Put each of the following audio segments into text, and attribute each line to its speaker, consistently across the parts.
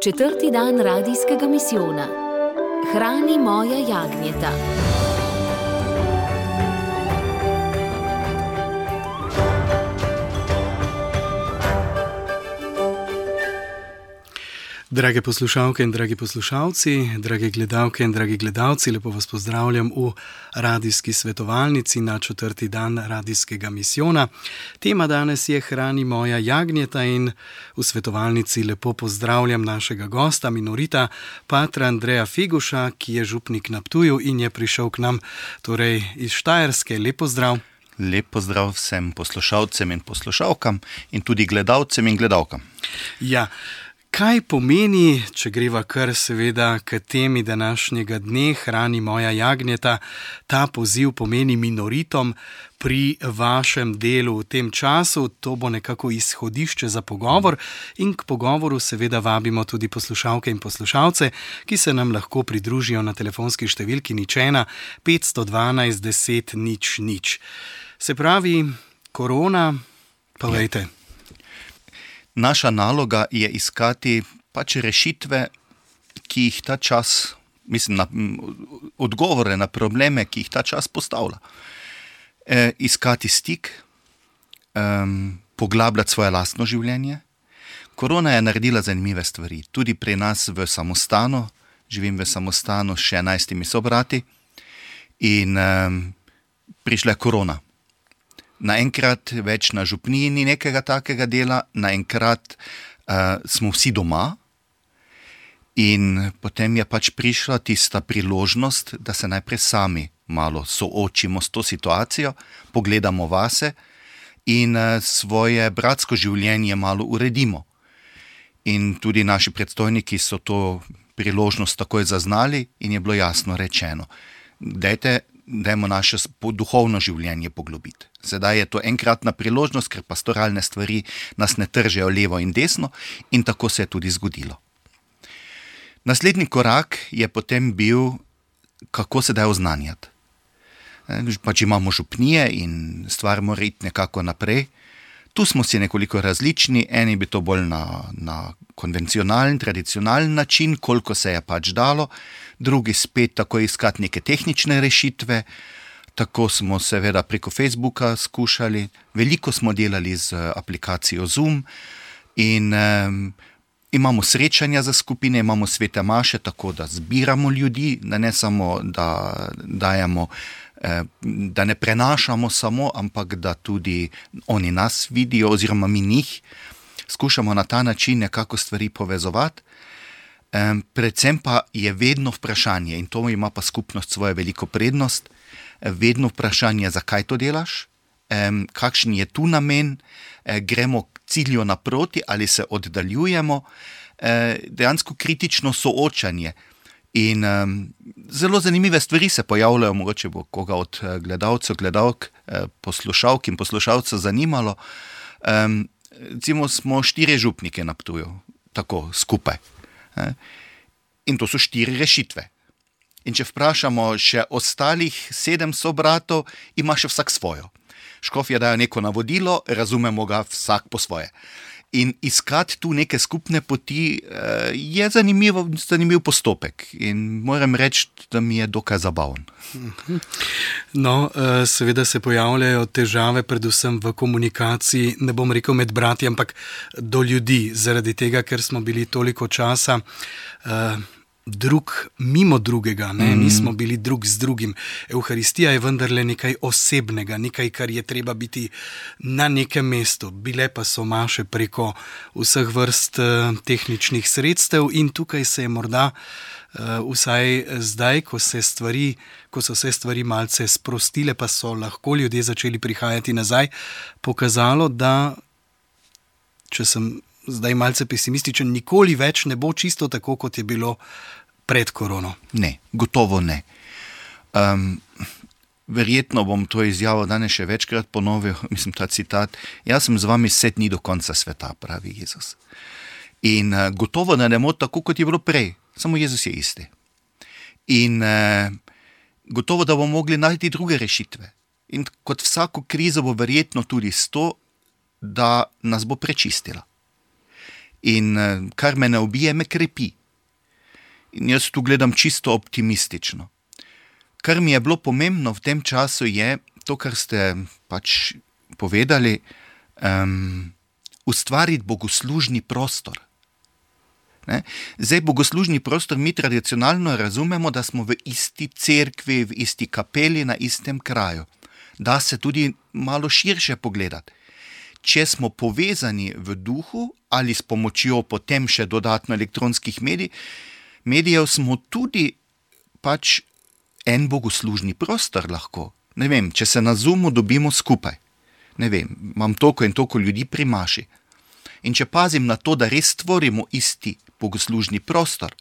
Speaker 1: Četrti dan radijskega misijona. Hrani moja jagnjeta.
Speaker 2: Drage poslušalke in dragi poslušalci, drage gledalke in dragi gledalci, lepo vas pozdravljam v radijski svetovalnici na četrti dan radijskega misijona. Tema danes je Hrani moja jagnjeta in v svetovalnici lepo pozdravljam našega gosta, minorita, patra Andreja Figuša, ki je župnik na Ptuju in je prišel k nam torej iz Štajerske. Lep pozdrav.
Speaker 3: Lep pozdrav vsem poslušalcem in poslušalkam in tudi gledalcem in gledalkam.
Speaker 2: Ja, kaj pomeni, če greva kar seveda k temi današnjega dne, Hrani moja jagnjeta, ta poziv pomeni minoritom pri vašem delu v tem času? To bo nekako izhodišče za pogovor in k pogovoru seveda vabimo tudi poslušalke in poslušalce, ki se nam lahko pridružijo na telefonski številki 01 512 10 00. Se pravi, korona, povejte.
Speaker 3: Naša naloga je iskati rešitve, ki jih ta čas, odgovore na probleme, ki jih ta čas postavlja. Iskati stik, poglabljati svoje lastno življenje. Korona je naredila zanimive stvari. Tudi pri nas v samostanu, živim v samostanu s 11 sobrati in prišla je korona. Naenkrat več na župniji ni nekega takega dela, naenkrat smo vsi doma in potem je prišla tista priložnost, da se najprej sami malo soočimo s to situacijo, pogledamo vase in svoje bratsko življenje malo uredimo. In tudi naši predstojniki so to priložnost takoj zaznali in je bilo jasno rečeno, dajmo naše duhovno življenje poglobiti. Sedaj je to enkratna priložnost, ker pastoralne stvari nas ne tržejo levo in desno in tako se je tudi zgodilo. Naslednji korak je potem bil, kako se da oznanjati. Imamo župnije in stvar mora iti nekako naprej. Tu smo si nekoliko različni, eni bi to bolj na konvencionalen, tradicionalen način, koliko se je dalo, drugi spet tako iskati neke tehnične rešitve. Tako smo seveda preko Facebooka skušali, veliko smo delali z aplikacijo Zoom in imamo srečanja za skupine, imamo svete maše, tako da zbiramo ljudi, da ne samo da dajemo, da ne prenašamo samo, ampak da tudi oni nas vidijo oziroma mi njih. Skušamo na ta način nekako stvari povezovati. Predvsem pa je vedno vprašanje, in to ima pa skupnost svojo veliko prednost, vedno vprašanje, zakaj to delaš, kakšen je tu namen, gremo k cilju naproti ali se oddaljujemo, dejansko kritično soočanje. In zelo zanimive stvari se pojavljajo, mogoče bo koga od gledalcev, gledalk, poslušalk in poslušalcev zanimalo. Recimo smo 4 župnike na Ptuju, tako skupaj. In to so 4 rešitve. In če vprašamo še ostalih 7 sobratov, ima še vsak svojo. Škofje dajo neko navodilo, razumemo ga vsak po svoje. In iskati tu neke skupne poti je zanimiv postopek. In moram reči, da mi je dokaj zabaven.
Speaker 2: No, seveda se pojavljajo težave, predvsem v komunikaciji, ne bom rekel med brati, ampak do ljudi, zaradi tega, ker smo bili toliko časa drug mimo drugega, nismo bili drug z drugim. Evharistija je vendarle nekaj osebnega, nekaj, kar je treba biti na nekem mestu. Bile pa so maše preko vseh vrst tehničnih sredstev in tukaj se je morda vsaj zdaj, ko so se stvari malce sprostile, pa so lahko ljudje začeli prihajati nazaj, pokazalo, da, če sem zdaj malce pesimističen, nikoli več ne bo čisto tako, kot je bilo pred korono.
Speaker 3: Ne, gotovo ne. Verjetno bom to izjavo danes še večkrat ponovil, ta citat, jaz sem z vami 7 dni do konca sveta, pravi Jezus. In gotovo ne bo tako, kot je bilo prej, samo Jezus je isti. In gotovo, da bomo mogli najti druge rešitve. In kot vsako krizo bo verjetno tudi to, da nas bo prečistila. In kar me ne ubije, me krepi. In jaz tu gledam čisto optimistično. Kar mi je bilo pomembno v tem času je to, kar ste pač povedali, ustvariti bogoslužni prostor. Ne? Zdaj, bogoslužni prostor mi tradicionalno razumemo, da smo v isti cerkvi, v isti kapeli, na istem kraju. Da se tudi malo širše pogledati. Če smo povezani v duhu ali s pomočjo potem še dodatno elektronskih medijev, smo tudi pač en bogoslužni prostor lahko. Ne vem, če se na Zoomu dobimo skupaj. Ne vem, imam toliko in toliko ljudi pri maši. In če pazim na to, da res stvorimo isti bogoslužni prostor,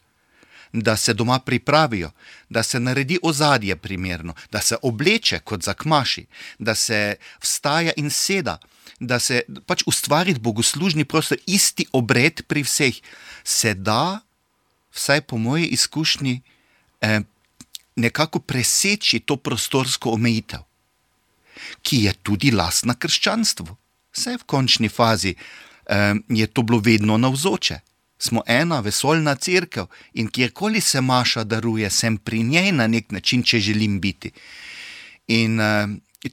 Speaker 3: da se doma pripravijo, da se naredi ozadje primerno, da se obleče kot za k maši, da se vstaja in seda, da se pač ustvariti bogoslužni prostor, isti obred pri vseh, se da, vsaj po moji izkušnji, nekako preseči to prostorsko omejitev, ki je tudi lastna krščanstvu. Vse v končni fazi je to bilo vedno navzoče. Smo ena vesoljna cerkev in kjerkoli se maša daruje, sem pri njej na nek način, če želim biti. In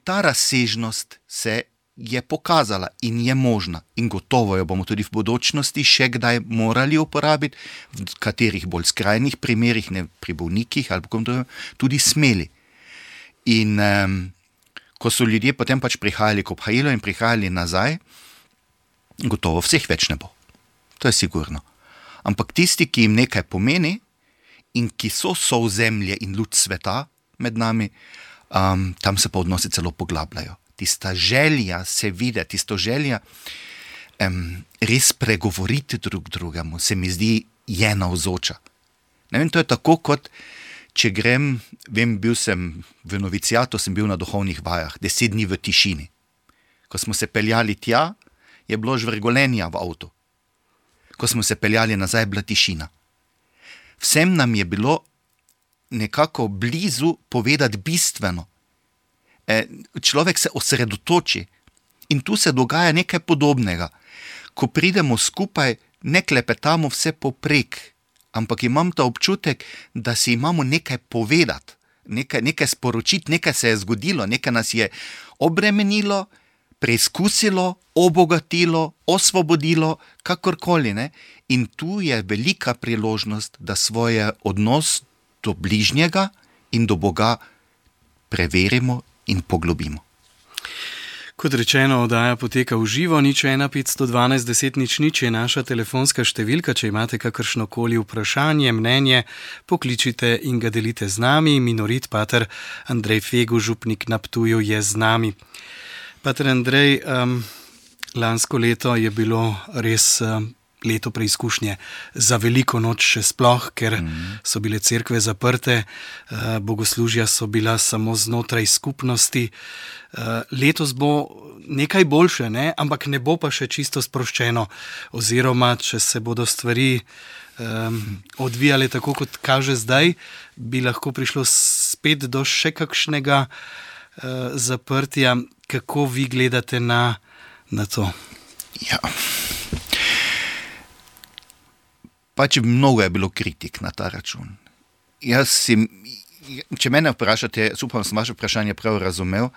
Speaker 3: ta razsežnost se je pokazala in je možna. In gotovo jo bomo tudi v bodočnosti še kdaj morali uporabiti, v katerih bolj skrajnih primerih, ne pri bolnikih ali tudi smeli. In ko so ljudje potem pač prihajali k obhajilu in prihajali nazaj, gotovo vseh več ne bo. To je sigurno. Ampak tisti, ki jim nekaj pomeni in ki so sozemlje in luč sveta med nami, tam se pa odnosi celo poglabljajo. Tista želja se vidi, tisto želja res pregovoriti drug drugemu, se mi zdi, je navzoča. Ne vem, to je tako, kot če grem, bil sem v novicijatu, sem bil na duhovnih vajah, 10 dni v tišini. Ko smo se peljali tja, je bilo žvrgolenja v avtu. Ko smo se peljali nazaj, bila tišina. Vsem nam je bilo nekako blizu povedati bistveno. Človek se osredotoči in tu se dogaja nekaj podobnega. Ko pridemo skupaj, ne klepetamo vse poprek, ampak imam ta občutek, da si imamo nekaj povedati, nekaj sporočiti, nekaj se je zgodilo, nekaj nas je obremenilo, preizkusilo, obogatilo, osvobodilo, kakorkoli. Ne? In tu je velika priložnost, da svoj odnos do bližnjega in do Boga preverimo in poglobimo.
Speaker 2: Kot rečeno, oddaja poteka v živo, 01 512 10 00 je naša telefonska številka. Če imate kakršnokoli vprašanje, mnenje, pokličite in ga delite z nami. Minorit pater Andrej Fegu, župnik na Ptuju, je z nami. Pater Andrej, lansko leto je bilo res leto preizkušnje za veliko noč še sploh, ker so bile cerkve zaprte, bogoslužja so bila samo znotraj skupnosti. Letos bo nekaj boljše, ne? Ampak ne bo pa še čisto sproščeno, oziroma če se bodo stvari odvijale tako, kot kaže zdaj, bi lahko prišlo spet do še kakšnega zaprtja. Kako vi gledate na to?
Speaker 3: Ja. Pač mnogo je bilo kritik na ta račun. Če mene vprašate, upam, sem vaše vprašanje prav razumel,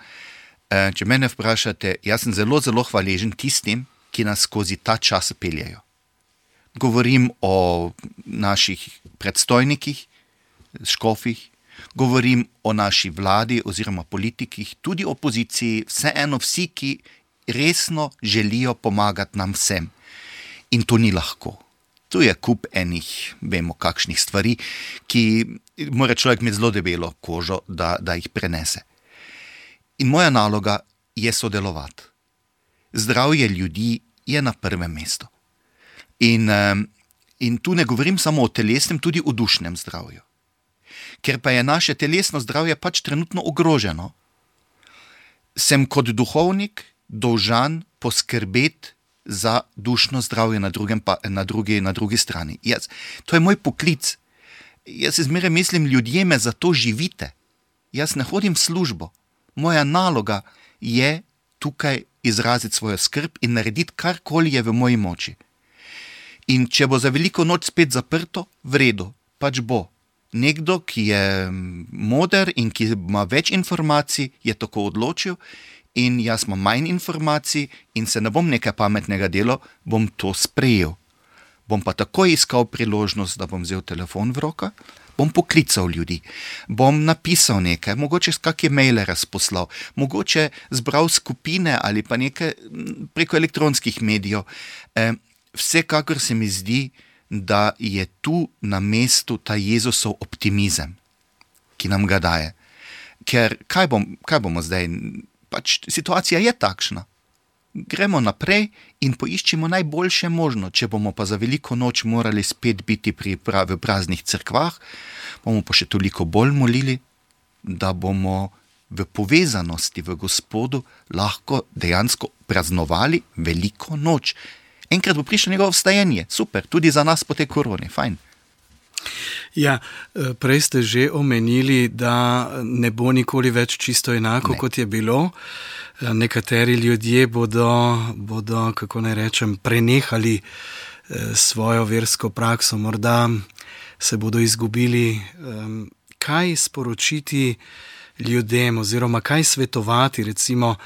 Speaker 3: če mene vprašate, jaz sem zelo, zelo hvaležen tistim, ki nas skozi ta čas peljejo. Govorim o naših predstojnikih, škofih, govorim o naši vladi oziroma politikih, tudi opoziciji, vseeno vsi, ki resno želijo pomagati nam vsem. In to ni lahko. Tu je kup enih, vemo kakšnih stvari, ki mora človek imeti zelo debelo kožo, da jih prenese. In moja naloga je sodelovati. Zdravje ljudi je na prvem mestu. In tu ne govorim samo o telesnem, tudi o dušnem zdravju. Ker pa je naše telesno zdravje pač trenutno ogroženo, sem kot duhovnik dolžan poskrbeti za dušno zdravje na drugi strani. To je moj poklic. Jaz zmeraj mislim, ljudje me zato živite. Jaz ne hodim v službo. Moja naloga je tukaj izraziti svojo skrb in narediti karkoli je v moji moči. In če bo za veliko noč spet zaprto, v redu, pač bo. Nekdo, ki je moder in ki ima več informacij, je tako odločil in jaz imam manj informacij in se ne bom nekaj pametnega delal, bom to sprejel. Bom pa takoj iskal priložnost, da bom vzel telefon v roka, bom poklical ljudi, bom napisal nekaj, mogoče kakšne maile razposlal, mogoče zbral skupine ali pa nekaj preko elektronskih medijev. Vsekakor se mi zdi, da je tu na mestu ta Jezusov optimizem, ki nam ga daje. Ker kaj bomo zdaj? Pač situacija je takšna. Gremo naprej in poiščimo najboljše možno. Če bomo pa za veliko noč morali spet biti v praznih cerkvah, bomo pa še toliko bolj molili, da bomo v povezanosti v Gospodu lahko dejansko praznovali veliko noč. Enkrat bo prišlo njegovo vstajanje, super, tudi za nas po tej koroni, fajn.
Speaker 2: Ja, prej ste že omenili, da ne bo nikoli več čisto enako, kot je bilo. Nekateri ljudje bodo, kako naj rečem, prenehali svojo versko prakso, morda se bodo izgubili. Kaj sporočiti ljudem oziroma kaj svetovati recimo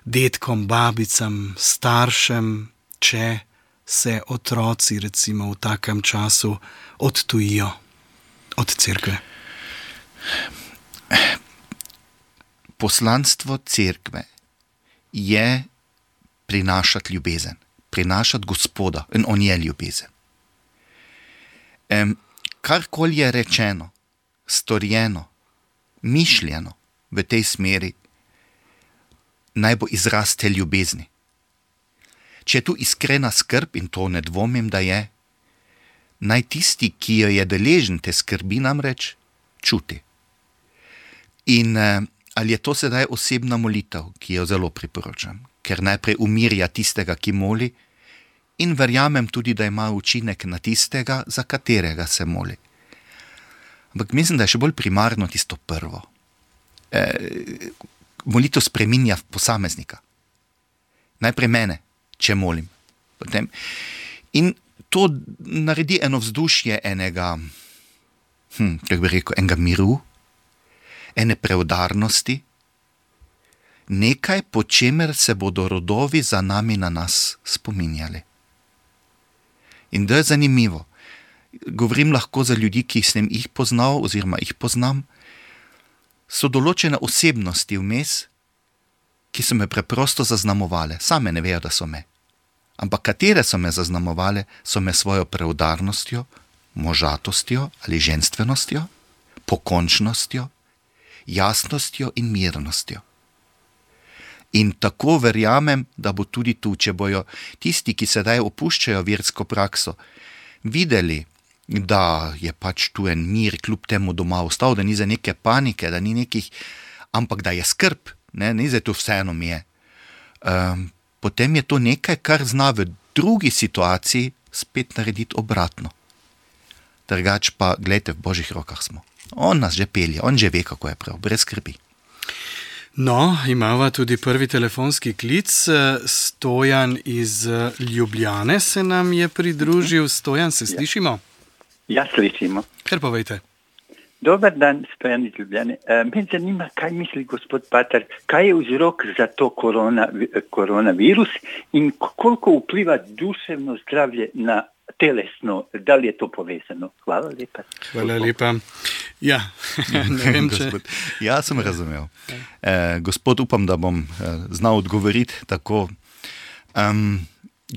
Speaker 2: dedkom, babicam, staršem, če se otroci recimo v takem času odtujijo od cerkve? Poslanstvo cerkve je prinašati ljubezen, prinašati Gospoda in on je ljubezen. Karkoli je rečeno, storjeno, mišljeno v tej smeri, naj bo izraz te ljubezni. Če je tu iskrena skrb, in to ne dvomim, da je, naj tisti, ki jo je deležen te skrbi, namreč čuti. In ali je to sedaj osebna molitev, ki jo zelo priporočam, ker najprej umirja tistega, ki moli, in verjamem tudi, da ima učinek na tistega, za katerega se moli. Ampak mislim, da je še bolj primarno tisto prvo. Molitev spreminja posameznika. Najprej mene, če molim. Potem. In to naredi eno vzdušje enega miru, ene preudarnosti, nekaj, po čemer se bodo rodovi za nami na nas spominjali. In da je zanimivo. Govorim lahko za ljudi, ki sem jih poznal oziroma jih poznam, so določene osebnosti vmes, ki so me preprosto zaznamovale. Same ne vejo, da so me. Ampak katere so me zaznamovale, so me svojo preudarnostjo, možatostjo ali ženstvenostjo, pokončnostjo, jasnostjo in mirnostjo. In tako verjamem, da bo tudi tu, če bojo tisti, ki sedaj opuščajo versko prakso, videli, da je pač tu en mir, kljub temu doma ostal, da ni za neke panike, da ni nekih, ampak da je skrb, ni za to vseeno mi je. Potem je to nekaj, kar zna v drugi situaciji spet narediti obratno. Drugač pa, glejte, v Božjih rokah smo. On nas že pelje, on že ve, kako je prav, brez skrbi. No, imava tudi prvi telefonski klic. Stojan iz Ljubljane se nam je pridružil. Stojan, se slišimo?
Speaker 4: Ja, slišimo.
Speaker 2: Kar povejte.
Speaker 4: Dobar dan, Stojan iz Ljubljane. Me zanima, kaj misli gospod Pater, kaj je vzrok za to koronavirus in koliko vpliva duševno zdravje na telesno, da li je to povezano? Hvala lepa.
Speaker 2: Hvala lepa. Ja, ne vem, če...
Speaker 3: Ja, sem razumel. Gospod, upam, da bom znal odgovoriti tako.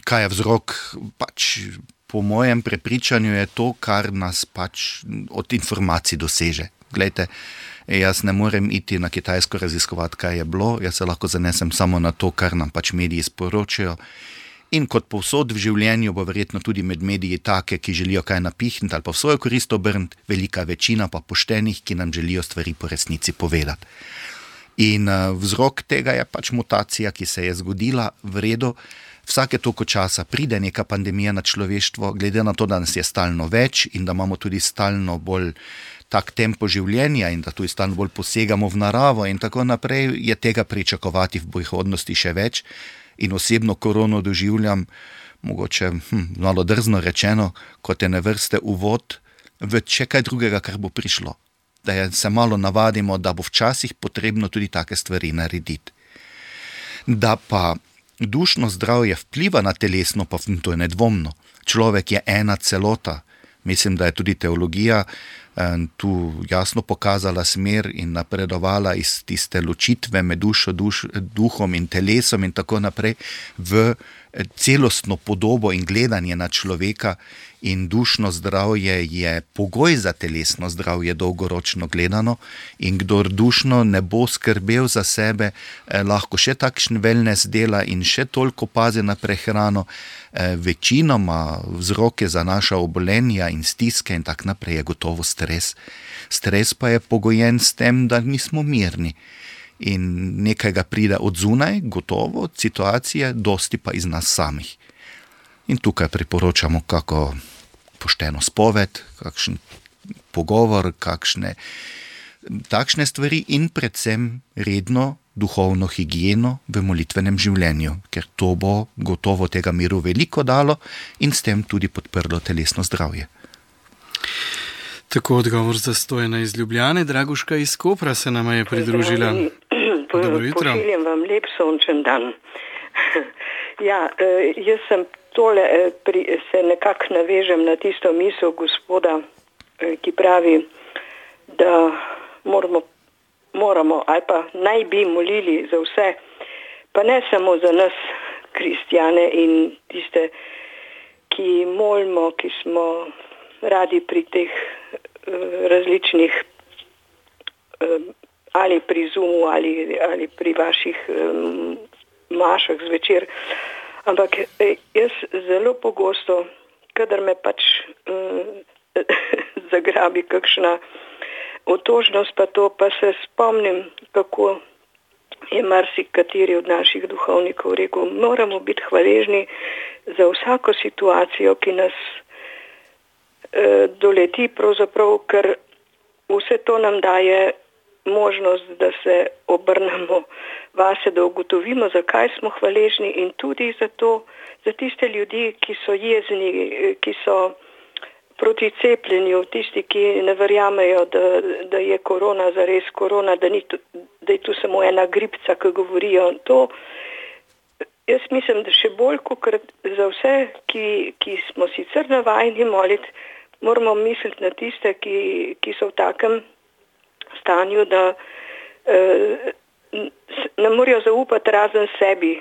Speaker 3: Kaj je vzrok? Pač po mojem prepričanju je to, kar nas pač od informacij doseže. Glejte, jaz ne morem iti na Kitajsko raziskovati, kaj je bilo, jaz se lahko zanesem samo na to, kar nam pač mediji sporočajo. In kot povsod v življenju bo verjetno tudi med mediji take, ki želijo kaj napihniti ali pa v svojo korist obrniti, velika večina pa poštenih, ki nam želijo stvari po resnici povedati. In vzrok tega je pač mutacija, ki se je zgodila v redu. Vsake toliko časa pride neka pandemija na človeštvo, glede na to, da nas je stalno več in da imamo tudi stalno bolj tak tempo življenja in da tudi stalno bolj posegamo v naravo in tako naprej, je tega pričakovati v prihodnosti še več. In osebno korono doživljam mogoče malo drzno rečeno, kot je na vrste uvod v še kaj drugega, kar bo prišlo. Da se malo navadimo, da bo včasih potrebno tudi take stvari narediti. Da pa dušno zdravje vpliva na telesno, pa to je nedvomno. Človek je ena celota. Mislim, da je tudi teologija tu jasno pokazala smer in napredovala iz tiste ločitve med dušo, duhom in telesom in tako naprej v celostno podobo in gledanje na človeka, in dušno zdravje je pogoj za telesno zdravje dolgoročno gledano, in kdor dušno ne bo skrbel za sebe, lahko še takšen wellness dela in še toliko pazi na prehrano. Večinoma vzroke za naša obolenja in stiske in tak naprej je gotovo stres. Stres pa je pogojen s tem, da nismo mirni. In nekaj ga pride od zunaj, gotovo, situacije, dosti pa iz nas samih. In tukaj priporočamo kako pošteno spoved, kakšen pogovor, kakšne takšne stvari in predvsem redno duhovno higieno v molitvenem življenju, ker to bo gotovo tega miru veliko dalo in s tem tudi podprlo telesno zdravje.
Speaker 2: Tako odgovor za Stojana iz Ljubljane. Draguška iz Kopra se nama je pridružila. Dobro jutro.
Speaker 5: Pošiljem vam lep sončen dan. Ja, jaz sem tole, se nekako navežem na tisto misel gospoda, ki pravi, da moramo ali pa naj bi molili za vse, pa ne samo za nas, kristjane in tiste, ki molimo, ki smo radi pri teh različnih ali pri Zoomu ali pri vaših mašah zvečer. Ampak jaz zelo pogosto, kadar me pač zagrabi kakšna otožnost, pa se spomnim, kako je marsikateri od naših duhovnikov rekel, moramo biti hvaležni za vsako situacijo, ki nas doleti, pravzaprav, ker vse to nam daje možnost, da se obrnemo vase, da ugotovimo, zakaj smo hvaležni, in tudi za tiste ljudi, ki so jezni, ki so proti cepljenju, tisti, ki ne verjamejo, da je korona zares korona, da je tu samo ena gripca, ki govorijo. To, jaz mislim, da še bolj kot za vse, ki smo sicer navajeni moliti, moramo misliti na tiste, ki so v takem stanju, da ne morejo zaupati razen sebi,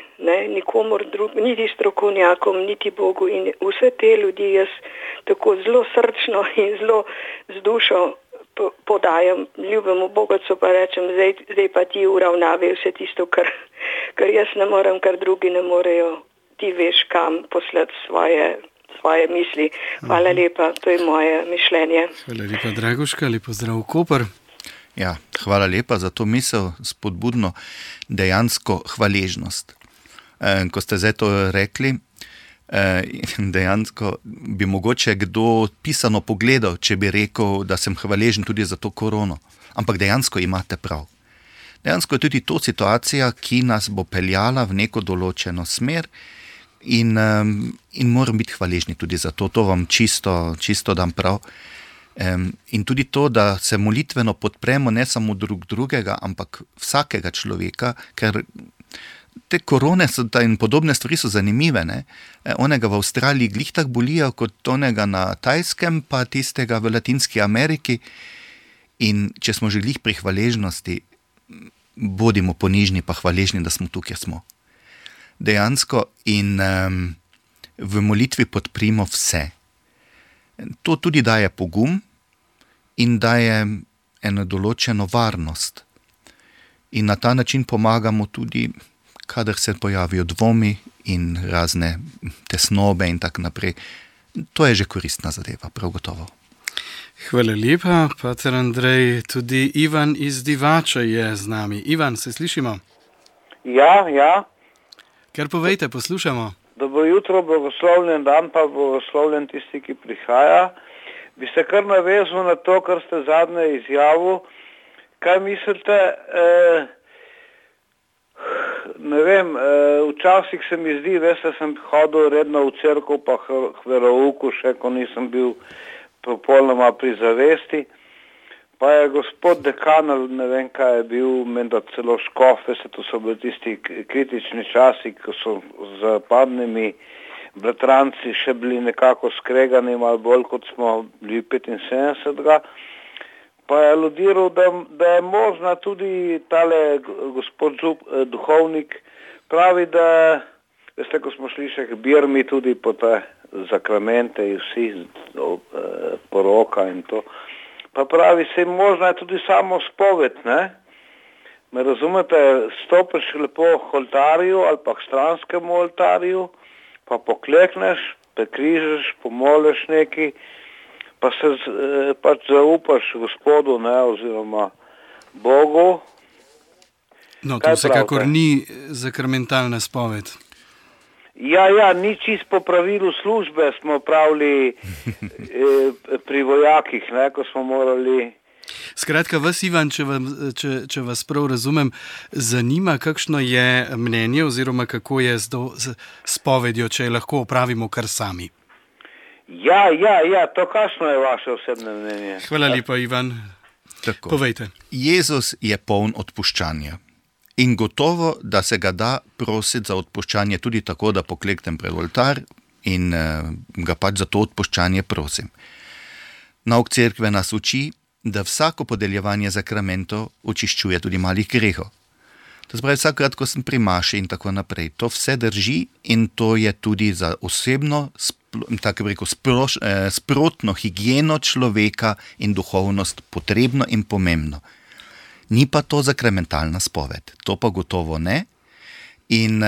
Speaker 5: nikomor drugemu, niti strokovnjakom, niti Bogu, in vse te ljudi jaz tako zelo srčno in zelo z dušo podajam ljubemu Bogocu, pa rečem, zdaj pa ti uravnavaj vse tisto, kar jaz ne morem, kar drugi ne morejo, ti veš kam poslati svoje misli. Hvala lepa, to je moje mišljenje.
Speaker 2: Hvala lepa, Draguška, lepo zdrav Koper.
Speaker 3: Ja, hvala lepa za to misel, spodbudno, dejansko hvaležnost. Ko ste zdaj to rekli, dejansko bi mogoče kdo pisano pogledal, če bi rekel, da sem hvaležen tudi za to korono. Ampak dejansko imate prav. Dejansko je tudi to situacija, ki nas bo peljala v neko določeno smer in moram biti hvaležni tudi za to. To vam čisto dam prav. In tudi to, da se molitveno podpremo ne samo drugega, ampak vsakega človeka, ker te korone in podobne stvari so zanimive. Onega v Avstraliji glih tak bolijo kot onega na Tajskem, pa tistega v Latinski Ameriki. In če smo že glih pri hvaležnosti, bodimo ponižni pa hvaležni, da smo tu, kjer smo. Dejansko in v molitvi podprimo vse. To tudi daje pogum in daje eno določeno varnost. In na ta način pomagamo tudi, kadar se pojavijo dvomi in razne tesnobe in tak naprej. To je že koristna zadeva, prav gotovo.
Speaker 2: Hvala lepa, pater Andrej. Tudi Ivan iz Divače je z nami. Ivan, se slišimo?
Speaker 6: Ja.
Speaker 2: Kar povejte, poslušamo.
Speaker 6: Dobro jutro, blagoslovljen dan, pa blagoslovljen tisti, ki prihaja. Bi se kar navezal na to, kar ste zadnje izjavil. Kaj mislite, ne vem, včasih se mi zdi, veste, sem hodil redno v cerkev pa k verouku, še ko nisem bil popolnoma pri zavesti. Pa je gospod dekan, ne vem kaj je bil, menda celo škof, veste, to so bili tisti kritični časi, ko so z zapadnimi bratranci še bili nekako skregani, malo bolj kot smo bili 75. Pa je aludiral, da je možna tudi tale gospod duhovnik, pravi, da, veste, ko smo šli še k Birmi tudi po te zakramente in vsi poroka in to, pa pravi, se možna je tudi samo spoved, ne? Me razumete, stopiš lepo k oltarju ali pa k stranskemu oltarju, pa poklekneš, prekrižeš, pomoliš neki, pa se pač zaupaš Gospodu, ne, oziroma Bogu.
Speaker 2: No, to vsekakor ni zakramentalna spoved.
Speaker 6: Ja, ni čist po pravilu službe, smo pravili pri vojakih, ne, ko smo morali...
Speaker 2: Skratka, vas, Ivan, če vas prav razumem, zanima, kakšno je mnenje oziroma kako je z spovedjo, če je lahko opravimo kar sami.
Speaker 6: Ja, to kakšno je vaše osebne mnenje?
Speaker 2: Hvala lepa, Ivan.
Speaker 3: Tako.
Speaker 2: Povejte.
Speaker 3: Jezus je poln odpuščanja. In gotovo, da se ga da prositi za odpuščanje tudi tako, da pokleknem pred oltar in ga pač za to odpuščanje prosim. Nauk cerkve nas uči, da vsako podeljevanje zakramentov očiščuje tudi malih grehov. To se pravi, vsakrat, ko sem pri maši in tako naprej, to vse drži in to je tudi za osebno, tako bi rekel, sprotno higieno človeka in duhovnost potrebno in pomembno. Ni pa to zakramentalna spoved, to pa gotovo ne. In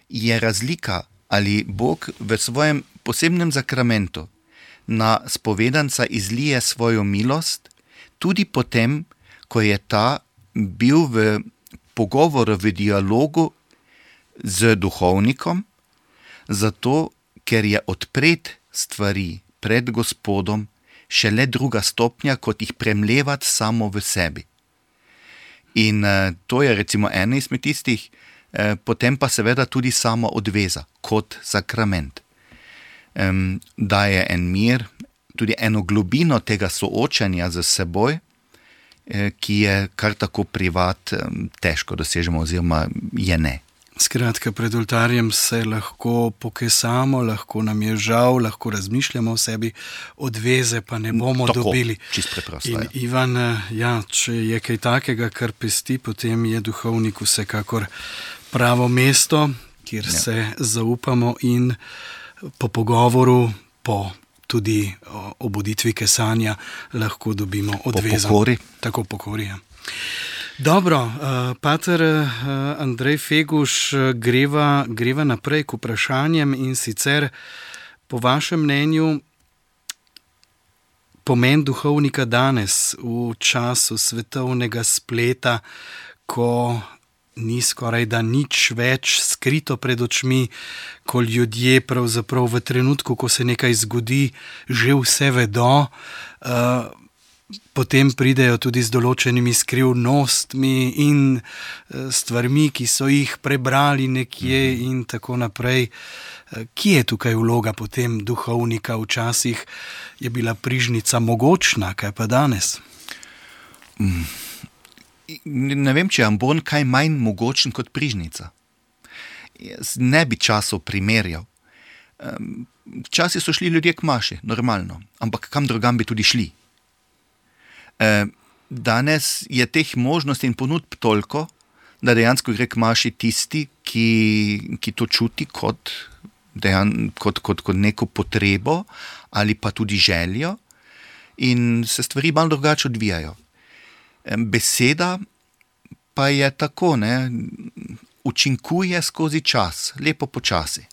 Speaker 3: je razlika, ali Bog v svojem posebnem zakramentu na spovedanca izlije svojo milost, tudi potem, ko je ta bil v pogovoru, v dialogu z duhovnikom, zato, ker je odpret stvari pred Gospodom šele druga stopnja, kot jih premlevati samo v sebi. In to je recimo ena izmed tistih, potem pa seveda tudi sama odveza kot sakrament. Daje en mir, tudi eno globino tega soočanja z seboj, ki je kar tako privat težko dosežemo oziroma je ne.
Speaker 2: Skratka, pred oltarjem se lahko pokesamo, lahko nam je žal, lahko razmišljamo o sebi, odveze pa ne bomo dobili.
Speaker 3: Čisto preprosto.
Speaker 2: In Ivan, če je kaj takega, kar pesti, potem je duhovnik vsekakor pravo mesto, kjer se zaupamo in po pogovoru, po tudi obuditvi kesanja lahko dobimo odvezo.
Speaker 3: Po pokori.
Speaker 2: Tako pokori, ja. Dobro, pater Andrej Feguš, greva naprej k vprašanjem in sicer po vašem mnenju pomen duhovnika danes v času svetovnega spleta, ko ni skoraj da nič več skrito pred očmi, ko ljudje pravzaprav v trenutku, ko se nekaj zgodi, že vse vedo, potem pridejo tudi z določenimi skrivnostmi in stvarmi, ki so jih prebrali nekje in tako naprej. Kje je tukaj vloga potem duhovnika? Včasih je bila prižnica mogočna, kaj pa danes?
Speaker 3: Ne vem, če je ambon kaj manj mogočen kot prižnica. Jaz ne bi časov primerjal. Včasih so šli ljudje k maši, normalno, ampak kam drugam bi tudi šli. Danes je teh možnosti in ponudb toliko, da dejansko gre k maši tisti, ki to čuti kot neko potrebo ali pa tudi željo in se stvari malo drugače odvijajo. Beseda pa je tako, učinkuje skozi čas, lepo počasi.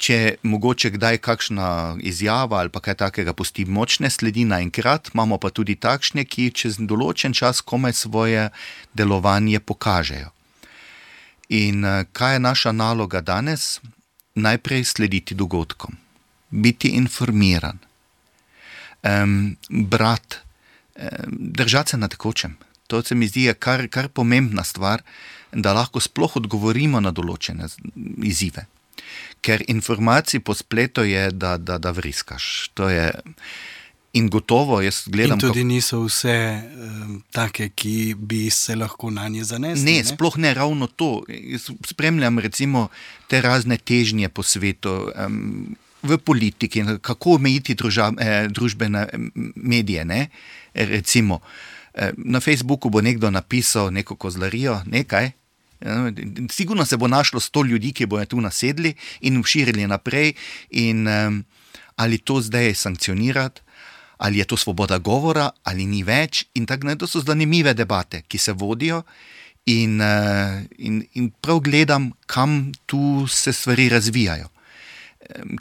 Speaker 3: Če mogoče kdaj kakšna izjava ali pa kaj takega pusti močne sledi naenkrat, imamo pa tudi takšne, ki čez določen čas komaj svoje delovanje pokažejo. In kaj je naša naloga danes? Najprej slediti dogodkom, biti informiran, držati se na tekočem. To se mi zdi kar pomembna stvar, da lahko sploh odgovorimo na določene izzive. Ker informacij po spletu je, da vriskaš. To je... In gotovo, jaz gledam...
Speaker 2: In tudi niso vse take, ki bi se lahko na nje zanesli.
Speaker 3: Ne, sploh ne ravno to. Jaz spremljam recimo te razne težnje po svetu, v politiki, kako omejiti družbene medije. Ne? Recimo, na Facebooku bo nekdo napisal neko kozlarijo, nekaj, sigurno se bo našlo 100 ljudi, ki bojo tu nasedli in širili naprej in ali to zdaj sankcionirati, ali je to svoboda govora, ali ni več in tako naprej. To so zanimive debate, ki se vodijo in prav gledam, kam tu se stvari razvijajo.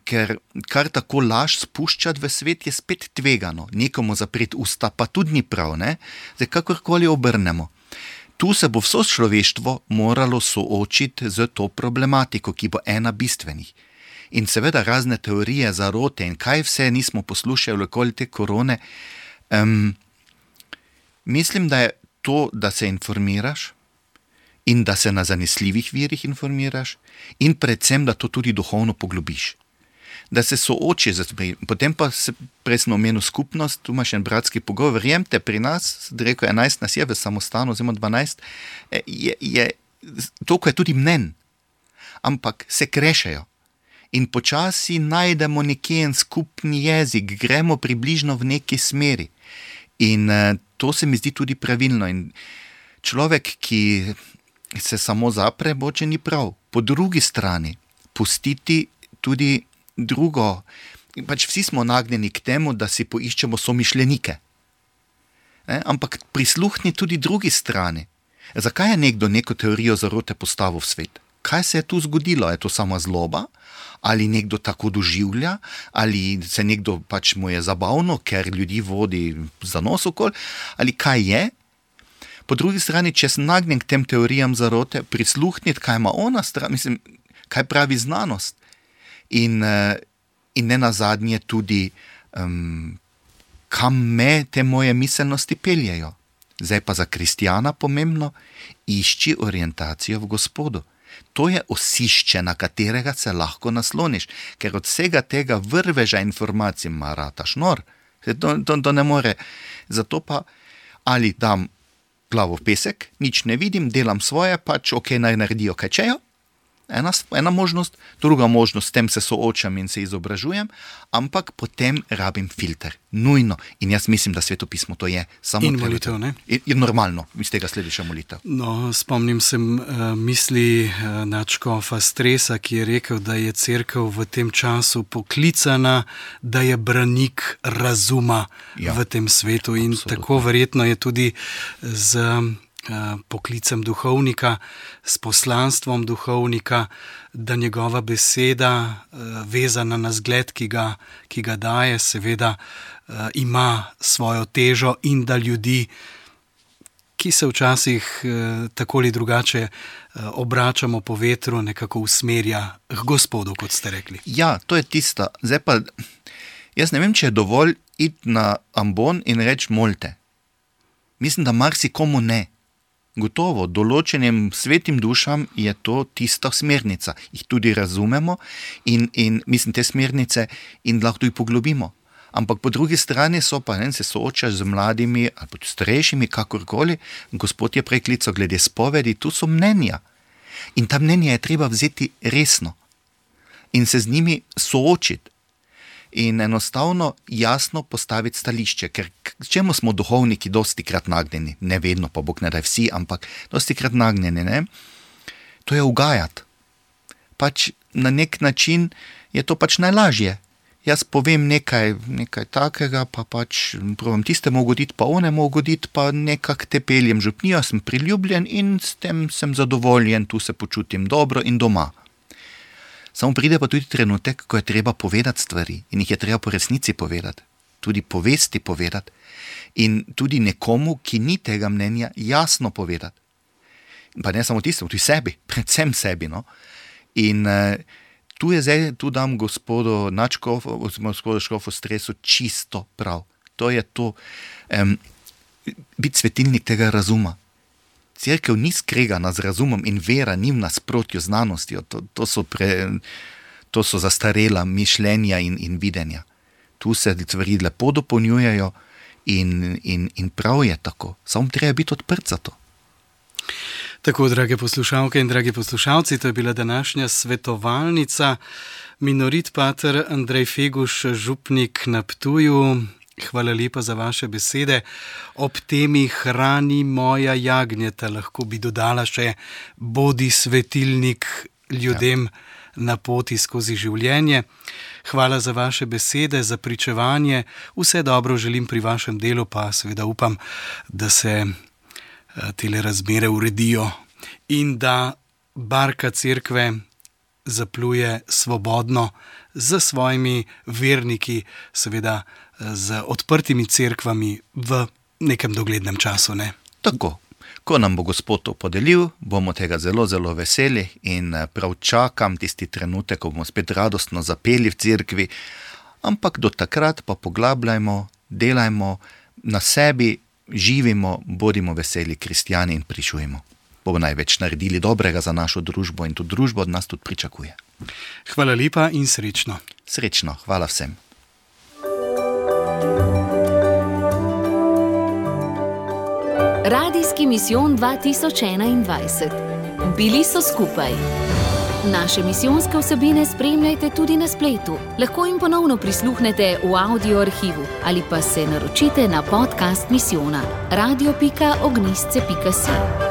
Speaker 3: Ker kar tako laž spuščati v svet je spet tvegano. Nekomu zapreti usta pa tudi ni prav, ne? Zdaj, kakorkoli obrnemo. Tu se bo vso človeštvo moralo soočiti z to problematiko, ki bo ena bistvenih. In seveda razne teorije zarote in kaj vse nismo poslušali okoli te korone. Mislim, da je to, da se informiraš in da se na zanesljivih virih informiraš in predvsem, da to tudi duhovno poglobiš. Da se sooči, potem pa se presno omenil skupnost, tu imaš en bratski pogovor, verjemte, pri nas, rekel 11 nas je v samostanu, oziroma 12, toliko je tudi mnen, ampak se krešejo. In počasi najdemo nekje en skupni jezik, gremo približno v neki smeri. In to se mi zdi tudi pravilno. In človek, ki se samo zapre, boče ni prav. Po drugi strani, pustiti tudi drugo. Pač vsi smo nagnjeni k temu, da si poiščemo somišljenike. Ampak prisluhni tudi drugi strani. Zakaj je nekdo neko teorijo zarote postavil v svet? Kaj se je tu zgodilo? Je to sama zloba? Ali nekdo tako doživlja, ali se nekdo pač mu je zabavno, ker ljudi vodi za nos okoli, ali kaj je. Po drugi strani, če sem nagnjen k tem teorijam zarote, prisluhniti, kaj ima ona stran, mislim, kaj pravi znanost. In ne nazadnje tudi, kam me te moje miselnosti peljejo. Zdaj pa za kristjana pomembno, išči orientacijo v Gospodu. To je osišče, na katerega se lahko nasloniš, ker od vsega tega vrveža informacij marataš nor. To ne more. Zato pa ali dam glavo v pesek, nič ne vidim, delam svoje, pač ok, naj naredijo kaj čejo. Ena možnost, druga možnost, s tem se soočam in se izobražujem, ampak potem rabim filter. Nujno. In jaz mislim, da svetopismo to je. Samo
Speaker 2: in molitev, ne?
Speaker 3: Je normalno, iz tega sledi še molitev.
Speaker 2: No, spomnim se misli nadškofa Stresa, ki je rekel, da je cerkev v tem času poklicana, da je branik razuma v tem svetu. In absolutno. Tako verjetno je tudi z poklicem duhovnika, s poslanstvom duhovnika, da njegova beseda, vezana na zgled, ki ga daje, seveda ima svojo težo in da ljudi, ki se včasih tako ali drugače obračamo po vetru, nekako usmerja k Gospodu, kot ste rekli.
Speaker 3: Ja, to je tisto. Zdaj pa, jaz ne vem, če je dovolj iti na ambon in reči molite. Mislim, da marsikomu ne. Gotovo, določenim svetim dušam je to tista smernica. Jih tudi razumemo in mislim te smernice in lahko jih poglobimo. Ampak po drugi strani so pa, se soočaš z mladimi ali pa starejšimi, kakorkoli. Gospod je preklical glede spovedi, tu so mnenja. In ta mnenja je treba vzeti resno in se z njimi soočiti. In enostavno jasno postaviti stališče, ker čemu smo duhovniki dosti krat nagnjeni, ne vedno, pa Bog ne daj vsi, ampak dosti krat nagnjeni, ne? To je ugajati. Pač na nek način je to pač najlažje. Jaz povem nekaj takega, pa pač probam tistemu ugoditi, pa onemu ugoditi, pa nekako te peljem župnijo, sem priljubljen in s tem sem zadovoljen, tu se počutim dobro in doma. Samo pride pa tudi trenutek, ko je treba povedati stvari in jih je treba po resnici povedati, tudi povesti povedati in tudi nekomu, ki ni tega mnenja, jasno povedati. Pa ne samo tistemu, tudi sebi, predvsem sebi. No? In tu dam gospodu nadškofu, gospodu škofu Stresu čisto prav. To je to. biti svetilnik tega razuma. Cerkev ni skregana z razumom in vera ni v nasprotju z znanostjo. To so zastarela mišljenja in videnja. Tu se stvari lepo dopolnjujejo in prav je tako. Samo treba biti odprt za to.
Speaker 2: Tako, drage poslušalke in dragi poslušalci, to je bila današnja svetovalnica. Minorit pater Andrej Feguš, župnik na Ptuju. Hvala lepa za vaše besede. Ob temi Hrani moja jagnjeta lahko bi dodala še bodi svetilnik ljudem na poti skozi življenje. Hvala za vaše besede, za pričevanje. Vse dobro želim pri vašem delu, pa seveda upam, da se tele razmere uredijo in da barka cerkve zapluje svobodno z svojimi verniki, seveda z odprtimi cerkvami v nekem doglednem času, ne?
Speaker 3: Tako. Ko nam bo Gospod to podelil, bomo tega zelo, zelo veseli in prav čakam tisti trenutek, ko bomo spet radostno zapeli v cerkvi, ampak do takrat pa poglabljajmo, delajmo na sebi, živimo, bodimo veseli kristjani in pričujemo. Bomo največ naredili dobrega za našo družbo in to družbo od nas tudi pričakuje.
Speaker 2: Hvala lepa in srečno.
Speaker 3: Srečno, hvala vsem.
Speaker 1: Radijski misijon 2021. Bili so skupaj. Naše misijonske vsebine spremljajte tudi na spletu. Lahko jim ponovno prisluhnete v audio arhivu ali pa se naročite na podcast misijona radio.ognistce.si.